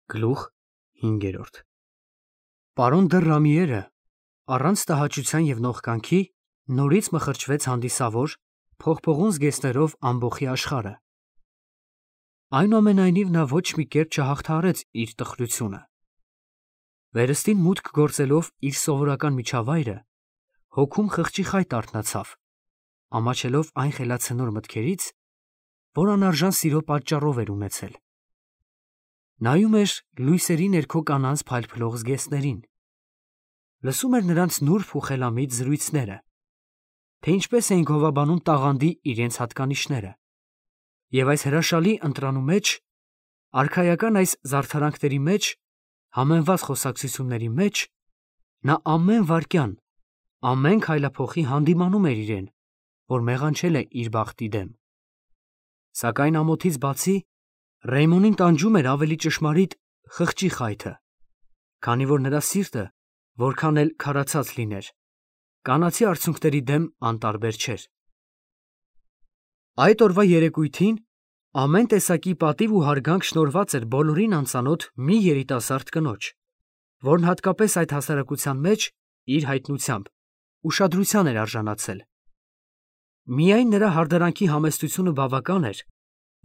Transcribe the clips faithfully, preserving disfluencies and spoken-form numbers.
Գլուխ հինգերորդ Պարոն դը Ռամիերը առանց տհաճության և նողկանքի նորից մխրճվեց հանդիսավոր, փողփողուն զգեստներով ամբոխի աշխարհը։ Այնուամենայնիվ նա ոչ մի կերպ չհաղթահարեց իր տխրությունը։ Վերստին մուտք գործելով իր սովորական միջավայրը, հոգում խղճի խայտ արթնացավ, ամաչելով այն խելացնոր մտքերից, որ անարժան սիրո պատճառով էր ունեցել։ Նայում էր լույսերի ներքո կանանց փայլփլող զգեստներին, լսում էր նրանց նուրբ ու խելամիտ զրույցները, թե ինչպես էին գովաբանում տաղանդի իրենց հատկանիշները, և այս հրաշալի ընտրանու մեջ, արքայական այս զարդարանքների մեջ, համեմված խոսակցությունների մեջ, նա ամեն վայրկյան, ամեն քայլափոխի հանդիմանում էր իրեն, որ մեղանչել է իր բախտի դեմ։ Սակայն ամոթից բացի, Ռեյմոնին տանջում էր ավելի ճշմարիտ խղճի խայթը, քանի որ նրա սիրտը, որքան էլ քարացած լիներ, կանացի արցունքների դեմ անտարբեր չէր։ Այդ օրվա երեկույթին ամեն տեսակի պատիվ ու հարգանք շնորհված էր բոլորին անծանոթ մի երիտասարդ կնոջ, որն հատկապես այդ հասարակության մեջ իր հայտնությամբ ուշադրության էր արժանացել։ Միայն նրա հարդարանքի համեստությունը բավական էր,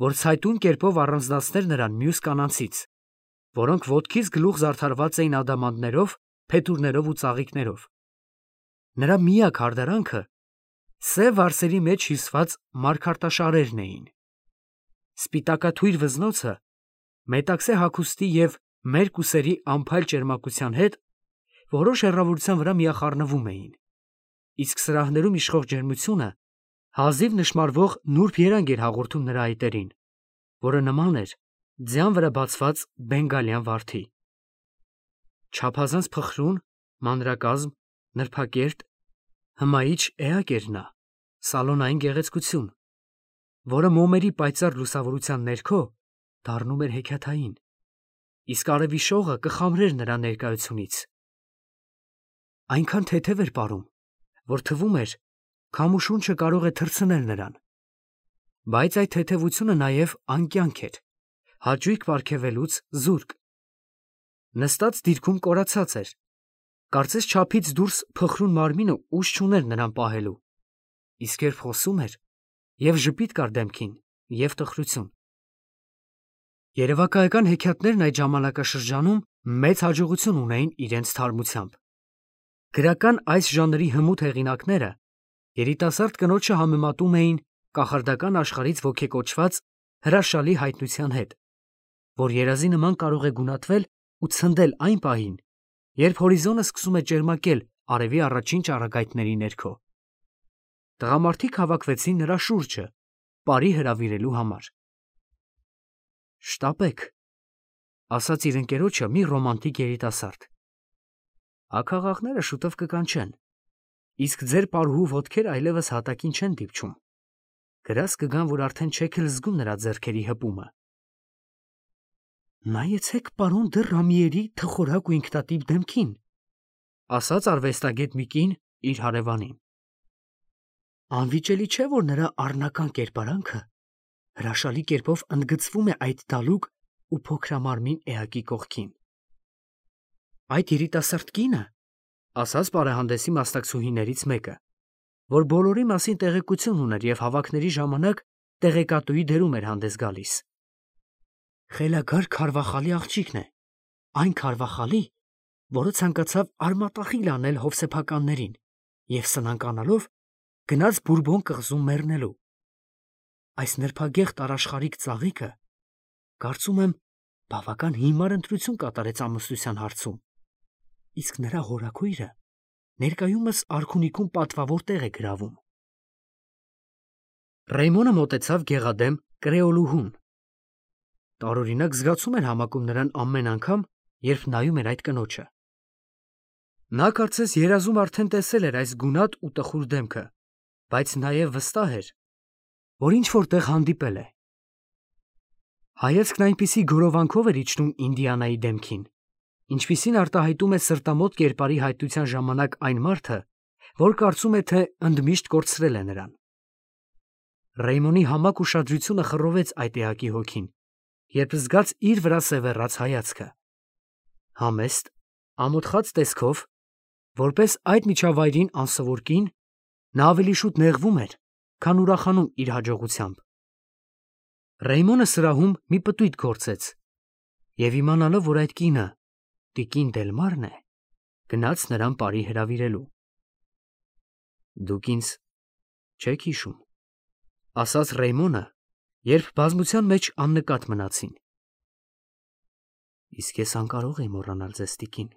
որ ցայտուն կերպով առանձնացներ նրան մյուս կանանցից, որոնք ոտքից գլուխ զարդարված էին ադամանդներով, փետուրներով ու ծաղիկներով։ Նրա միակ հարդարանքը սև արծերի մեջ հյուսված մարգարտաշարերն էին։ Սպիտակաթույր վզնոցը մետաքսե հագուստի և մերկ ուսերի անփայլ ճերմակության հետ որոշ հեռավորության վրա միախառնվում էին, իսկ սրահներում իշխող ջերմությունը հազիվ նշմարվող նուրբ երանգ էր հաղորդում նրա այտերին, որը նման էր ձյան վրա բացված բենգալյան վարդի։ Չափազանց փխրուն, մանրակազմ, նրբակերտ, հմայիչ էակ էր նա, սալոնային գեղեցկություն, որը մոմերի պայծառ լուսավորության ներքո դառնում էր հեքիաթային, իսկ արևի շողը կխամրեր նրա ներկայությունից։ Այնքան թեթև էր պարում, որ թվում էր, քամու շունչը կարող է թռցնել նրան, բայց այդ թեթևությունը նաև անկյանք էր, հաճույք պարգևելուց զուրկ։ Նստած դիրքում կորացած էր, կարծես չափից դուրս փխրուն մարմինը ուժ չուներ նրան պահելու, իսկ երբ խոսում էր, և ժպիտ կար դեմքին, և տխրություն։ Երևակայական հեքիաթներն այդ ժամանակաշրջանում մեծ հաջողություն ունեին իրենց թարմությամբ։ Գրական այս ժանրի հմուտ հեղինակները երիտասարդ կնոջը համեմատում էին կախարդական աշխարհից ոգեկոչված հրաշալի հայտնության հետ, որ երազի նման կարող է գունատվել ու ցնդել այն պահին, երբ հորիզոնը սկսում է ճերմակել արևի առաջին ճառագայթների ներքո։ Տղամարդիկ հավաքվեցին նրա շուրջը պարի հրավիրելու համար։ «Շտապեք», ասաց իր ընկերոջը մի ռոմանտիկ երիտասարդ, «աքաղաղները շուտով կկանչեն, իսկ ձեր պարուհու ոտքերը այլևս հատակին չեն դիպչում, գրազ կգան, որ արդեն չեք էլ զգում նրա ձեռքերի հպումը»։ «Նայեցեք պարոն դը Ռամիերի թխորակ ու ինքնատիպ դեմքին», ասաց արվեստագետ մի կին իր հարևանին։ «Անվիճելի չէ, որ նրա առնական կերպարանքը հրաշալի կերպով ընդգծվում է այդ դալուկ ու փոքրամարմին էակի կողքին»։ «Այդ երիտասարդ կինը, ֊ ասաց պարահանդեսի մասնակցուհիներից մեկը, որ բոլորի մասին տեղեկություն ուներ և հավաքների ժամանակ տեղեկատուի դերում էր հանդես գալիս, ֊ խելագար քարվախալի աղջիկն է, այն քարվախալի, որը ցանկացավ արմատախիլ անել հովսեփականներին և սնանկանալով գնաց Բուրբոն կղզում մեռնելու։ Այս նրբագեղ տարաշխարհիկ ծաղիկը, կարծում եմ, բավական հիմար ընտրություն կատարեց ամուսնության հարցում, իսկ նրա հորաքույրը ներկայումս արքունիքում պատվավոր տեղ է գրավում»։ Ռեյմոնը մոտեցավ գեղադեմ կրեոլուհուն։ Տարօրինակ զգացում էր համակում նրան ամեն անգամ, երբ նայում էր այդ կնոջը։ Նա կարծես երազում արդեն տեսել էր այս գունատ ու տխուր դեմքը, բայց նաև վստահ էր, որ ինչ-որ տեղ հանդիպել է։ Հայացքն այնպիսի գորովանքով էր իջնում Ինդիանայի դեմքին, ինչպիսին արտահայտում է սրտամոտ կերպարի հայտնության ժամանակ այն մարդը, որ կարծում է, թե ընդմիշտ կորցրել է նրան։ Ռեյմոնի համակ ուշադրությունը խռովեց այդ էակի հոգին, երբ զգաց իր վրա սևեռած հայացքը։ Համեստ, ամոթխած տեսքով, որպես այդ միջավայրին անսովոր կին, նա ավելի շուտ նեղվում էր, քան ուրախանում իր հաջողությամբ։ Ռեյմոնը սրահում մի պտույտ գործեց և իմանալով, որ այդ կինը տիկին Դելմարն է, գնաց նրան բարի հրավիրելու։ Դուք ինձ չեք հիշում, ասաց Ռեյմոնը, երբ բազմության մեջ աննկատ մնացին։ Իսկ ես անկարող եմ մոռանալ ձեզ, տիկին,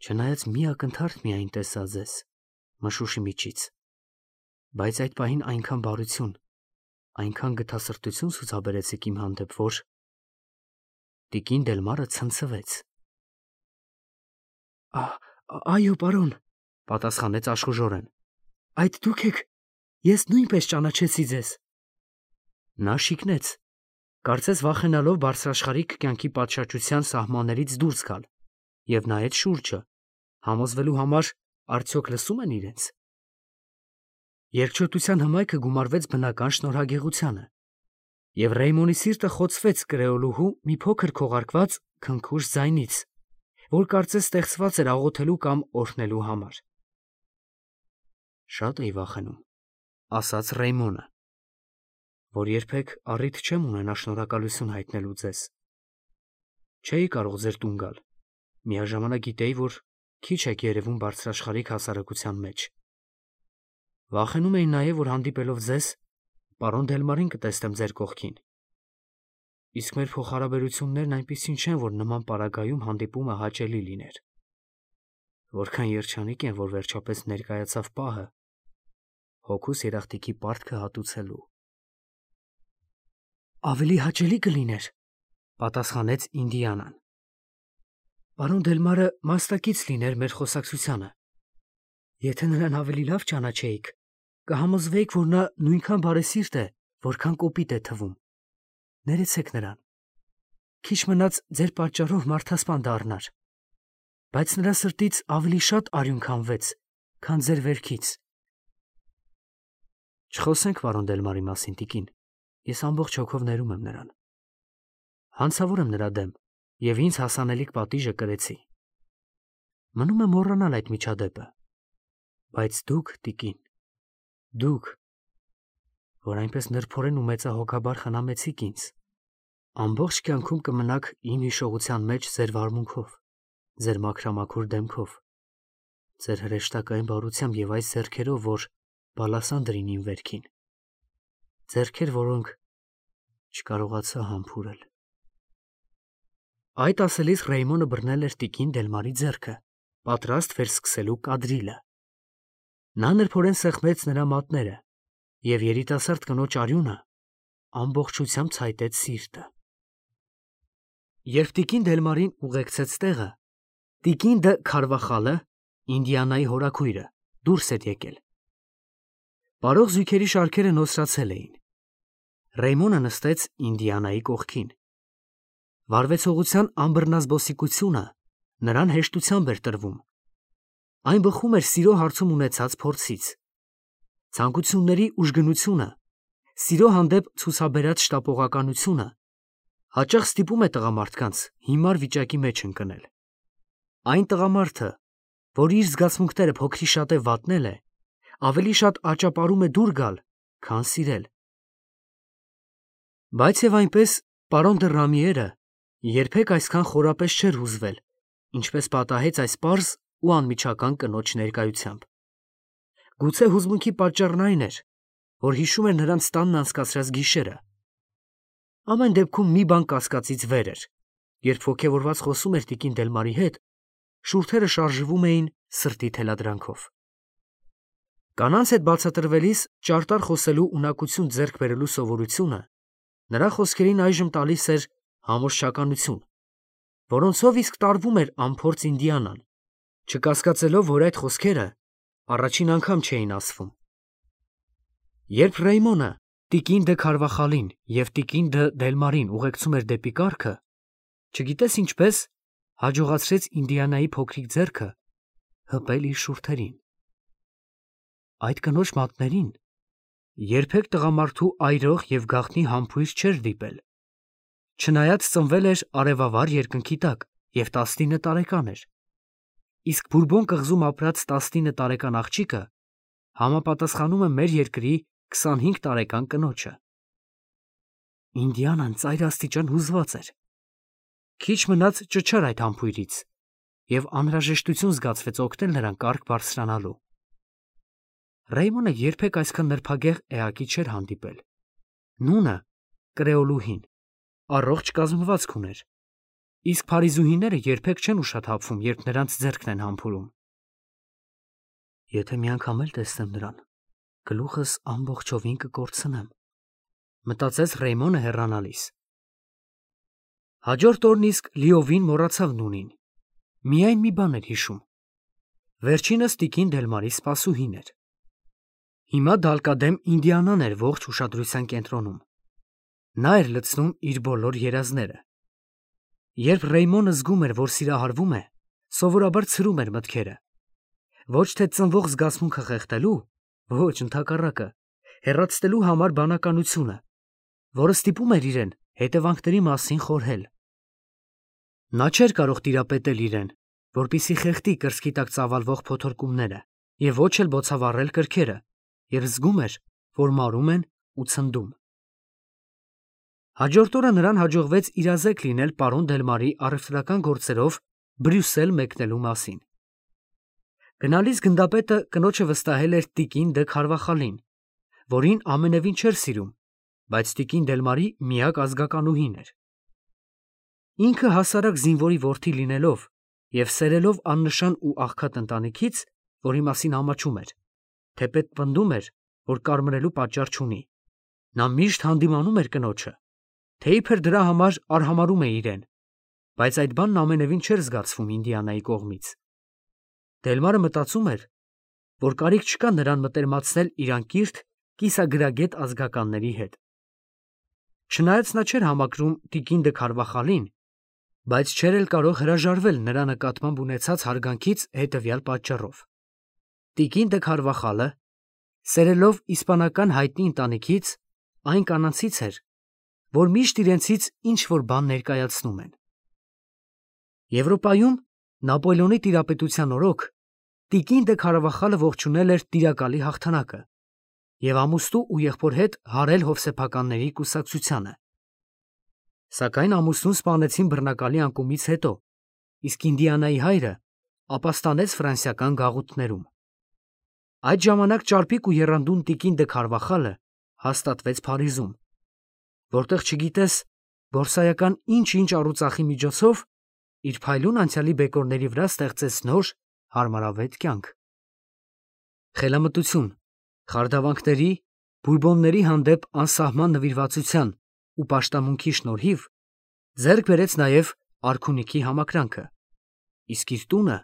չնայած մի ակնթարթ միայն տեսա ձեզ մշուշի միջից, բայց այդ պահին այնքան բարություն, այնքան գթասրտություն ցուցաբերեցիք իմ հանդեպ, որ… Տիկին Դելմարը ցնցվեց։ Այո, պարոն, պատասխանեց աշխուժորեն, այդ դուք եք, ես նույնպես ճանաչեցի ձեզ։ Նա շիկնեց, կարծես վախենալով բարձրաշխարհիկ կյանքի պատշաճության սահմաններից դուրս գալ, և նայեց շուրջը, համոզվելու համար, արդյոք լսում են իրենց։ Երկչոտության հմայքը գումարվեց բնական շնորհագեղությանը, և Ռեյմոնի սիրտը խոցվեց կրեոլուհու մի փոքր քողարկված քնքուշ ձայնից, որ կարծես ստեղծված էր աղոթելու կամ օրհնելու համար։ Շատ էի վախենում, ասաց Ռեյմոնը, որ երբեք առիթ չեմ ունենա շնորհակալություն հայտնելու ձեզ։ Չէի կարող ձեր տուն գալ, միաժամանակ գիտեի, որ քիչ եք երևում բարձրաշխարհիկ հասարակության մեջ։ Վախենում էի նաև, որ հանդիպելով ձեզ, պարոն Դելմարին կտեսնեմ ձեր կողքին։ Իսկ մեր փոխհարաբերություններն այնպիսին չեն, որ նման պարագայում հանդիպումը հաճելի լիներ։ Որքան երջանիկ եմ, որ վերջապես ներկայացավ պահը հոգուս երախտիկի պարտքը հատուցելու։ Ավելի հաճելի կլիներ, պատասխանեց Ինդիանան, պարոն Դելմարը մասնակից լիներ մեր խոսակցությանը։ Եթե նրան ավելի լավ ճանաչեիք, կհամոզվեիք, որ նա նույնքան բարեսիրտ է, որքան կոպիտ է թվում։ Ներեցեք նրան։ Քիչ մնաց ձեր պատճառով մարդասպան դառնար, բայց նրա սրտից ավելի շատ արյուն քամվեց, քան ձեր վերքից։ Չխոսենք պարոն Դելմարի մասին, տիկին, ես ամբողջ հոգով ներում եմ նրան։ Հանցավոր եմ նրա դեմ և ինձ հասանելիք պատիժը կրեցի։ Մնում է մոռանալ այդ միջադեպը, բայց դուք, տիկին, դուք, որ այնպես նրբորեն ու մեծահոգաբար խնամեցիք ինձ, ամբողջ կյանքում կմնաք իմ հիշողության մեջ ձեր վարմունքով, ձեր մաքրամաքուր դեմքով, ձեր հրեշտակային բարությամբ և այս ձեռքերով, որ բալասան դրին իմ վերքին, ձեռքեր, որոնք չկարողացա համբուրել։ Այդ ասելիս Ռեյմոնը բռնել էր տիկին Դելմարի ձեռքը, պատրաստ վերսկսելու կադրիլը։ Նա նրբորեն սեղմեց նրա մատները, և երիտասարդ կնոջ արյունը ամբողջությամբ ցայտեց սիրտը։ Երբ տիկին Դելմարին ուղեկցեց տեղը, տիկին Դը Քարվախալը, Ինդիանայի հորաքույրը, դուրս էր եկել։ Պարող զույգերի շարքերը նոսրացել էին։ Ռեյմոնը նստեց Ինդիանայի կողքին։ Վարվեցողության անբռնազբոսիկությունը նրան հեշտությամբ էր տրվում։ Այն բխում էր սիրո հարցում ունեցած փորձից։ Ցանկությունների ուժգնությունը, սիրո հանդեպ ցուցաբերած շտապողականությունը հաճախ ստիպում է տղամարդկանց հիմար վիճակի մեջ ընկնել։ Այն տղամարդը, որ իր զգացմունքները փոքրիշատե վատնել է, ավելի շատ աճապարում է դուր գալ, քան սիրել։ Բայց և այնպես պարոն դը Ռամիերը երբեք այսքան խորապես չէր հուզվել, ինչպես պատահեց այս պարզ ու անմիջական կնոջ ներկայությամբ։ Գուցե հուզմունքի պատճառն այն էր, որ հիշում էր նրանց տանն անցկացրած գիշերը։ Ամեն դեպքում մի բան կասկածից վեր էր, երբ ոգևորված խոսում էր տիկին Դելմարի հետ, շուրթերը շարժվում էին սրտի թելադրանքով։ Կանանց հետ բացատրվելիս ճարտար խոսելու ունակություն ձեռք բերելու սովորությունը նրա խոսքերին այժմ տալիս էր համոզչականություն, որոնցով իսկ տարվում էր անփորձ Ինդիանան, չկասկածելով, որ այդ խոսքերը առաջին անգամ չէին ասվում։ Երբ Ռեյմոնը տիկին Դը Քարվախալին և տիկին Դը Դելմարին ուղեկցում էր դեպի կառքը, չգիտես ինչպես, հաջողացրեց Ինդիանայի փոքրիկ ձեռքը հպել իր շուրթերին։ Այդ կնոջ մատներին երբեք տղամարդու այրող և գաղտնի համբույր չէր դիպել։ Չնայած ծնվել էր արևավար երկնքի տակ և տասնինը տարեկան էր, իսկ Բուրբոն կղզում ապրած տասնինը տարեկան աղջիկը համապատասխանում է մեր երկրի քսանհինգ տարեկան կնոջը։ Ինդիանան ծայրաստիճան հուզված էր։ Քիչ մնաց ճչար այդ համբույրից, և անհրաժեշտություն զգացվեց օգնել նրան կարգ բարձրանալու։ Ռեյմոնը երբեք այսքան նրբագեղ էակի չէր հանդիպել։ Նունը, կրեոլուհին, առողջ կազմվածք ուներ, իսկ փարիզուհիները երբեք չեն ուշաթափվում, երբ նրանց ձեռքն են համբուրում։ Եթե մի անգամ էլ տեսնեմ նրան, գլուխս ամբողջովին կկորցնեմ, մտածեց Ռեյմոնը հեռանալիս։ Հաջորդ օրն իսկ լիովին մոռացավ Նունին։ Միայն մի բան էր հիշում. վերջինս տիկին Դելմարի սպասուհին էր։ Հիմա դալկադեմ Ինդիանան էր ողջ ուշադրության կենտրոնում։ Նա էր լցնում իր բոլոր երազները։ Երբ Ռեյմոնը զգում էր, որ սիրահարվում է, սովորաբար ցրում էր մտքերը։ Ոչ թե ծնվող զգացմունքը խեղդելու, ոչ ընդհակառակը, հեռացնելու համար բանականությունը, որը ստիպում էր իրեն հետևանքների մասին խորհել։ Նա չէր կարող տիրապետել իրեն, որպեսզի խեղդի կրծքի տակ ծավալվող փոթորկումները և ոչ էլ բոցավառել կրքերը, և զգում էր, որ մարում են ու ցնդում։ Հաջորդ օրը նրան հաջողվեց իրազեկ լինել պարոն Դելմարի առևտրական գործերով Բրյուսել մեկնելու մասին։ Գնալիս գնդապետը կնոջը վստահել էր տիկին դը Քարվախալին, որին ամենևին չէր սիրում, բայց տիկին Դելմարի միակ ազգականուհին էր։ Ինքը հասարակ զինվորի որդի լինելով և սերելով աննշան ու աղքատ ընտանիքից, որի մասին ամաչում էր, թեպետ պնդում էր, որ կարմրելու պատճառ չունի, նա միշտ հանդիմանում էր կնոջը, թե իբր դրա համար արհամարհում է իրեն, բայց այդ բանն ամենևին չէր զգացվում Ինդիանայի կողմից։ Դելմարը մտածում էր, որ կարիք չկա նրան մտերմացնել իր անկիրք կիսագրագետ ազգականների հետ։ Չնայած նա չէր համակրում տիկին դը Քարվախալին, բայց չէր էլ կարող հրաժարվել նրա նկատմամբ ունեցած հարգանքից հետևյալ պատճառով. տիկին դը Քարվախալը, սերելով իսպանական հայտնի ընտանիքից, այն կանանցից էր, որ միշտ իրենցից ինչ-որ բան ներկայացնում են։ Եվրոպայում Նապոլեոնի տիրապետության օրոք տիկին դը Քարվախալը ողջունել էր տիրակալի հաղթանակը և ամուսնու ու եղբոր հետ հարել հովսեփականների կուսակցությանը։ Սակայն ամուսնուն սպանեցին բռնակալի անկումից հետո, իսկ Ինդիանայի հայրը ապաստանեց ֆրանսիական գաղութներում։ Այդ ժամանակ ճարպիկ ու եռանդուն տիկին դը Քարվախալը հաստատվեց Փարիզում, որտեղ չգիտես բորսայական ինչ-ինչ առուծախի միջոցով իր փայլուն անցյալի բեկորների վրա ստեղծեց նոր հարմարավետ կյանք։ Խելամտություն, խարդավանքների, բուրբոնների հանդեպ անսահման նվիրվածության ու պաշտամունքի շնորհիվ ձեռք բերեց նաև արքունիքի համակրանքը, իսկ իր տունը,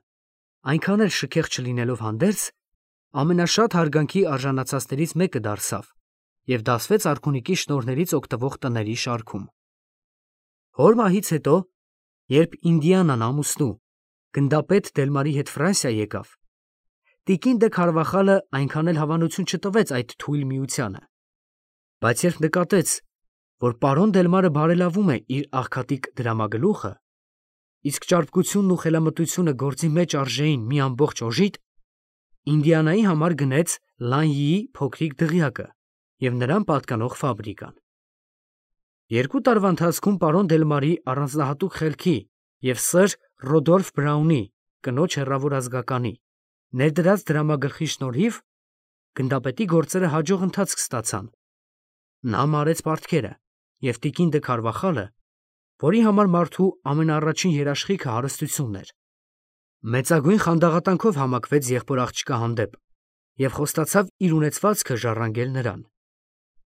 այնքան էլ շքեղ չլինելով հանդերձ, ամենաշատ հարգանքի արժանացածներից մեկը դարձավ և դասվեց արքունիքի շնորհներից օգտվող տների շարքում։ Հոր մահից հետո, երբ Ինդիանան ամուսնու գնդապետ Դելմարի հետ Ֆրանսիա եկավ, տիկին դը Քարվախալը այնքան էլ հավանություն չտվեց այդ թույլ միությանը, բայց երբ նկատեց, որ պարոն Դելմարը բարելավում է իր աղքատիկ դրամագլուխը, իսկ ճարպկությունն ու խելամտությունը գործի մեջ արժեին մի ամբողջ օժիտ, Ինդիանայի համար գնեց Լանյիի փոքրիկ դղյակը և նրան պատկանող ֆաբրիկան։ Երկու տարվա ընթացքում պարոն Դելմարի առանձնահատուկ խելքի և սըր Ռոդոլֆ Բրաունի, կնոջ հեռավոր ազգականի, ներդրած դրամագլխի շնորհիվ գնդապետի գործերը հաջող ընթացք ստացան։ Նա մարեց պարտքերը, և տիկին դը Քարվախալը, որի համար մարդու ամենաառաջին երաշխիքը հարստությունն էր, մեծագույն խանդաղատանքով համակվեց եղբոր աղջկա հանդեպ և խոստացավ իր ունեցվածքը ժառանգել նրան։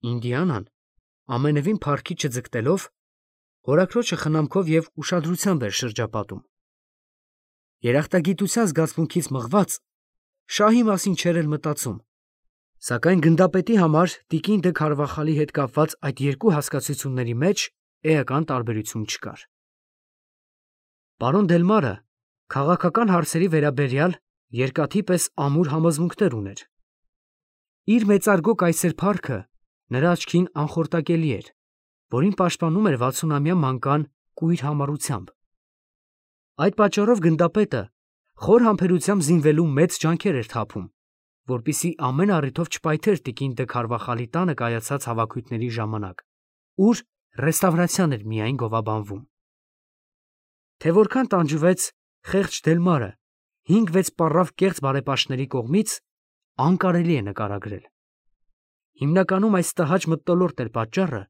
Ինդիանան, ամենևին փառքի չձգտելով, հորաքրոջը խնամքով և ուշադրությամբ էր շրջապատում։ Երախտագիտության զգացմունքից մղված, շահի մասին չէր էլ մտածում, սակայն գնդապետի համար տիկին դը Քարվախալի հետ կապված այդ երկու հասկացությունների մեջ էական տարբերություն չկար։ Պարոն Դելմարը քաղաքական հարցերի վերաբերյալ երկաթի պես ամուր համոզմունքներ ուներ։ Իր մեծարգո կայսեր փառքը նրա աչքին անխորտակելի էր, որին պաշտպանում էր վաթսունամյա մանկան կույր համառությամբ։ Այդ պատճառով գնդապետը խոր համբերությամբ զինվելու մեծ ջանքեր էր թափում, որպեսզի ամեն առիթով չպայթեր տիկին դը Քարվախալի տանը կայացած հավաքույթների ժամանակ, ուր ռեստավրացիան էր միայն գովաբանվում։ Թե որքան տանջվեց խեղճ Դելմարը հինգ-վեց պառավ կեղծ բարեպաշտների կողմից, անկարելի է նկարագրել։ Հիմնականում այս տհաճ մթնոլորտ էր պատճառը,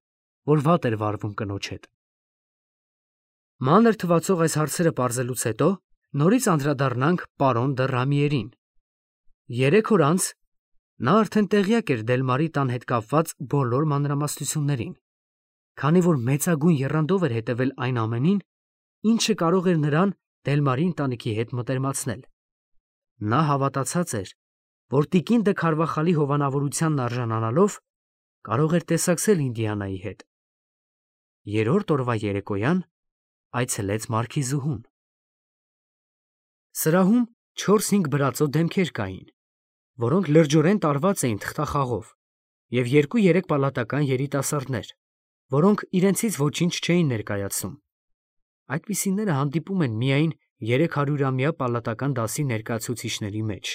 որ վատ էր վարվում կնոջ հետ։ Մանր թվացող այս հարցերը պարզելուց հետո նորից անդրադառնանք պարոն դը Ռամիերին։ Երեք օր անց նա արդեն տեղյակ էր Դելմարի տան հետ կապված բոլոր մանրամասնություններին, քանի որ մեծագույն եռանդով էր հետևել այն ամենին, ինչը կարող էր նրան Դելմարի ընտանիքի հետ մտերմացնել։ Նա հավատացած էր, որ տիկին դը Քարվախալի հովանավորությանն արժանանալով կարող էր տեսակցել Ինդիանայի հետ։ Երրորդ օրվա երեկոյան այցելեց մարքիզուհուն։ Սրահում չորս-հինգ բրածո դեմքեր կային, որոնք լրջորեն տարված էին թղթախաղով, և երկու-երեք պալատական երիտասարդներ, որոնք իրենցից ոչինչ չէին ներկայացնում։ Այդպիսիները հանդիպում են միայն երեքհարյուրամյա պալատական դասի ներկայացուցիչների մեջ։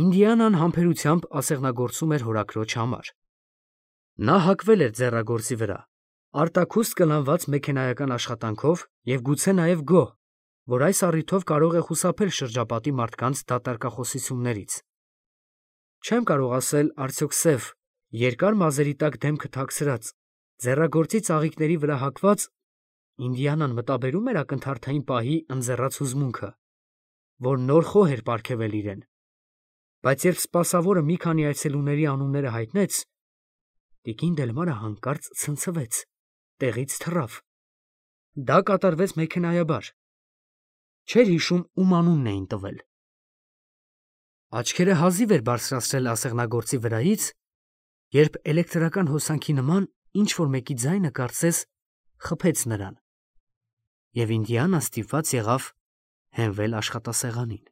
Ինդիանան համբերությամբ ասեղնագործում էր հորաքրոջ համար։ Նա հակվել էր ձեռագործի վրա, արտաքուստ կլանված մեքենայական աշխատանքով և գուցե նաև գոհ, որ այս առիթով կարող է խուսափել շրջապատի մարդկանց դատարկախոսություններից։ Չեմ կարող ասել արդյոք սև, երկար մազերի տակ դեմքը թաքցրած, ձեռագործի ծաղիկների վրա հագված, Ինդիանան մտաբերում էր ակնթարթային պահի ընձեռած հուզմունքը, որ նոր խոհ էր պարգևել իրեն, բայց երբ սպասավորը մի քանի այցելուների անունները հայտնեց, տիկին Դելմարը հանկարծ ցնցվեց, տեղից թռավ։ Դա կատարվեց մեքենայաբար։ Չէր հիշում ում անունն էին տվել։ Աչքերը հազիվ էր բարձրացրել ասեղնագործի վրայից, երբ էլեկտրական հոսանքի նման ինչ-որ մեկի ձայնը կարծես խփեց նրան, և Ինդիանան ստիպված եղավ հենվել աշխատասեղանին։